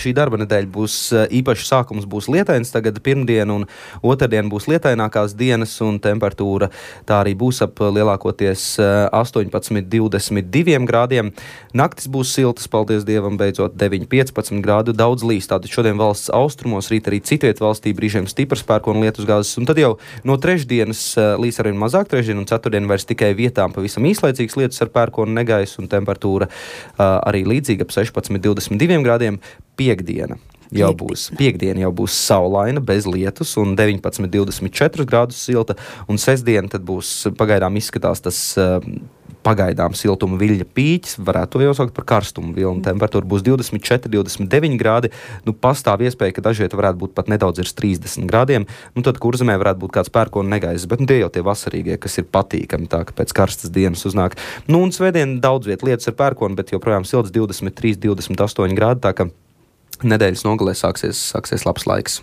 šī darba nedēļa būs īpaši sākums būs lietains, tagad pirmdien un otrdien būs lietainākās dienas un temperatūra tā arī būs ap lielākoties 18-22 grādiem. Naktis būs siltas, paldies Dievam, beidzot 9-15 grādu, daudz līs. Tātad šodien valsts austrumos, rīt arī citviet valstī brīžiem stiprs pērkona lietusgāzes, un tad jau no trešdienas līs arvien mazāk, trešdien un ceturtdien vairs tikai vietām pavisam īslaicīgs lietus ar pērkona negaisu un temperatūra arī līdzīga ap 16-22 grādiem. Piektdiena jau būs saulaina, bez lietus un 19-24 grādus silta, un sestdiena tad būs pagaidām izskatās tas pagaidām siltuma viļņa pīķis, varētu to jau saukt par karstumu vilnu. Temperatūra būs 24-29 grādi, pastāv iespēja, ka dažviet varētu būt pat nedaudz ir 30 grādiem, tad Kurzemē varētu būt kāds pērkona negaiss, bet tie jau tie vasarīgie, kas ir patīkami, tā ka pēc karstas dienas uznāk. Un svētdien daudz viet lietus ar pērkonu, bet joprojām silts 23-28 grādi, tā ka nedēļas nogalē sāksies labs laiks.